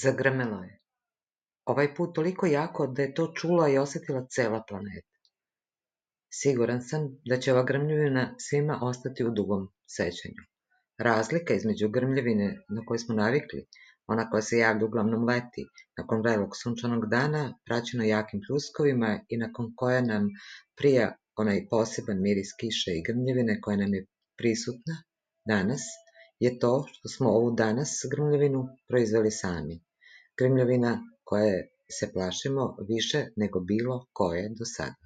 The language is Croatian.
Zagrmelo je. Ovaj put toliko jako da je to čula i osjetila cela planeta. Siguran sam da će ova grmljavina svima ostati u dugom sećanju. Razlika između grmljavine na koju smo navikli, ona koja se javlja uglavnom leti, nakon vrelog sunčanog dana, praćena jakim pljuskovima i nakon koje nam prija onaj poseban miris kiše i grmljavine koja nam je prisutna danas, je to što smo ovu danas grmljavinu proizveli sami. Grmljavina koje se plašimo više nego bilo koje do sada.